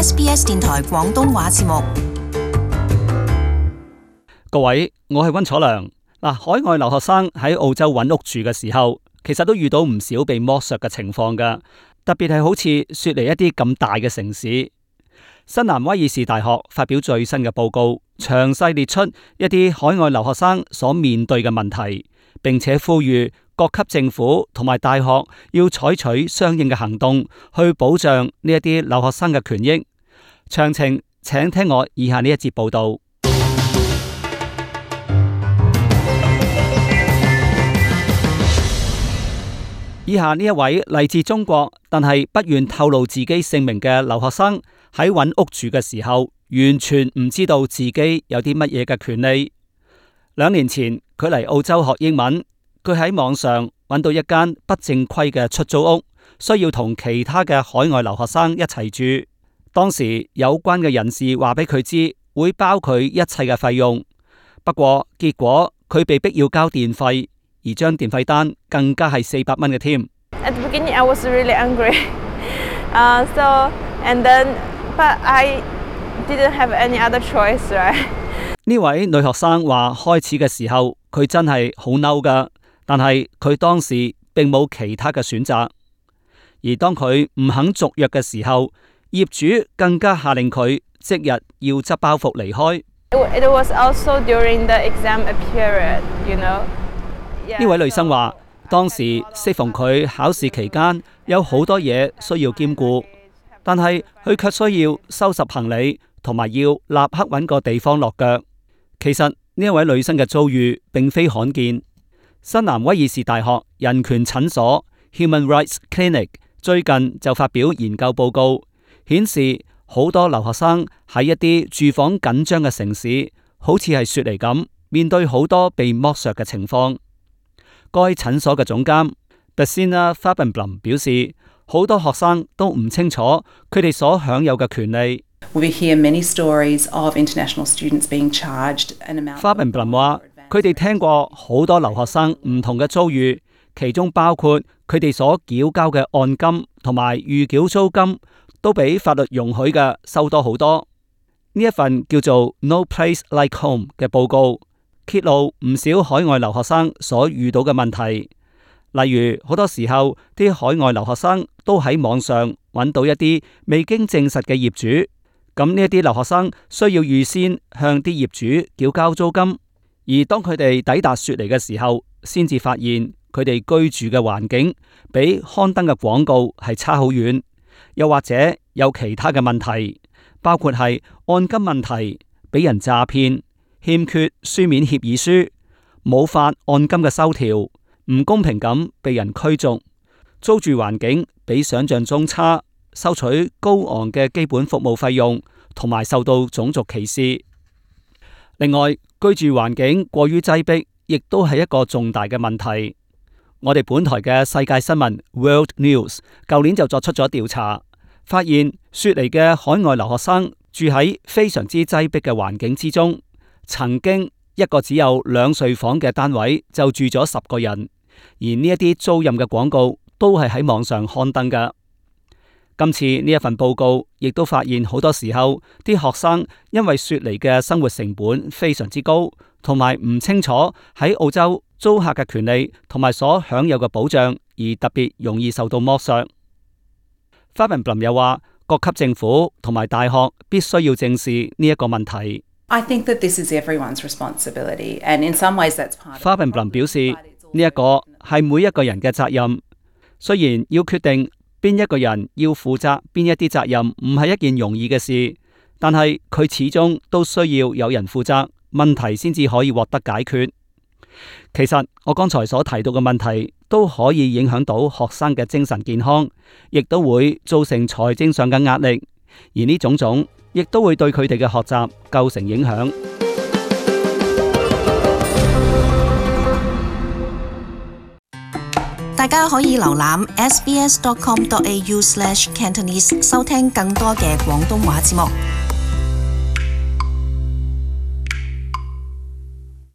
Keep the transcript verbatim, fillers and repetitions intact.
S B S 電台廣東話節目。各位，我係溫楚良。嗱，海外留學生喺澳洲揾屋住嘅時候，其實都遇到唔少被剝削嘅情況㗎。特別係好似雪梨一啲咁大嘅城市。新南威爾士大學發表最新嘅報告，詳細列出一啲海外留學生所面對嘅問題，並且呼籲各級政府同埋大學要採取相應嘅行動，去保障呢一啲留學生嘅權益。詳情請聽我以下呢一節報道。以下呢一位嚟自中國，但係不願透露自己姓名嘅留學生，喺揾屋住嘅時候，完全唔知道自己有啲乜嘢嘅權利。兩年前，佢嚟澳洲學英文。佢喺網上揾到一間不正規嘅出租屋，需要同其他嘅海外留學生一齊住。當時有關嘅人士話俾佢知，會包佢一切嘅費用。不過結果佢被逼要交電費，而張電費單更加係四百蚊嘅添。At the beginning, I was really angry. Uh, so and then, but I didn't have any other choice, right? 呢位女學生話，開始嘅時候佢真係好嬲㗎。但係佢當時並冇其他嘅選擇，而當佢唔肯續約嘅時候，業主更加下令佢即日要執包袱離開。It was also during the exam period, you know. 呢位女生話，當時適逢佢考試期間，有好多嘢需要兼顧，但係佢卻需要收拾行李，同埋要立刻揾個地方落腳。其實呢一位女生嘅遭遇並非罕見。新南威爾士大學人權診所 Human Rights Clinic 最近就發表研究報告，顯示好多留學生喺一啲住房緊張嘅城市，好似係雪梨咁，面對好多被剝削嘅情況。該診所嘅總監 Basina Farbenblom 表示，好多學生都唔清楚佢哋所享有嘅權利。We hear many stories of international students being charged an amount. Farbenblom 話，佢哋聽過好多留學生唔同嘅遭遇，其中包括佢哋所繳交嘅按金同埋預繳租金都比法律容許嘅收多好多。呢一份叫做 No Place Like Home 嘅報告揭露唔少海外留學生所遇到嘅問題，例如好多時候啲海外留學生都喺網上揾到一啲未經證實嘅業主，咁呢一啲留學生需要預先向啲業主繳交租金。而當佢哋抵達雪梨嘅時候，先至發現佢哋居住嘅環境比刊登嘅廣告係差好遠，又或者有其他嘅問題，包括係按金問題、俾人詐騙、欠缺書面協議書、冇發按金嘅收條、唔公平咁被人驅逐、租住環境比想象中差、收取高昂嘅基本服務費用，同埋受到種族歧視。另外，居住環境過於擠迫，亦都係一個重大嘅問題。我哋本台嘅世界新聞 World News 舊年就作出咗調查，發現雪梨嘅海外留學生住喺非常之擠迫嘅環境之中，曾經一個只有兩睡房嘅單位就住咗十個人，而呢一啲租賃嘅廣告都係喺網上刊登㗎。今次呢一份報告亦都發現，好多時候啲學生因為雪梨嘅生活成本非常之高，同埋唔清楚喺澳洲租客嘅權利同埋所享有嘅保障，而特別容易受到剝削。Farbenblom 又話，各級政府同埋大學必須要正視呢一個問題。I think that this is everyone's responsibility, and in some ways that's part of the problem. Farbenblom 表示，呢一個係每一個人嘅責任，雖然要決定邊一個人要負責邊一啲責任唔係一件容易嘅事，但係佢始終都需要有人負責，問題先至可以獲得解決。其實我剛才所提到嘅問題都可以影響到學生嘅精神健康，亦都會造成財政上嘅壓力，而呢種種亦都會對佢哋嘅學習構成影響。大家可以瀏覽 s b s dot com dot a u slash cantonese 收聽更多嘅廣東話節目。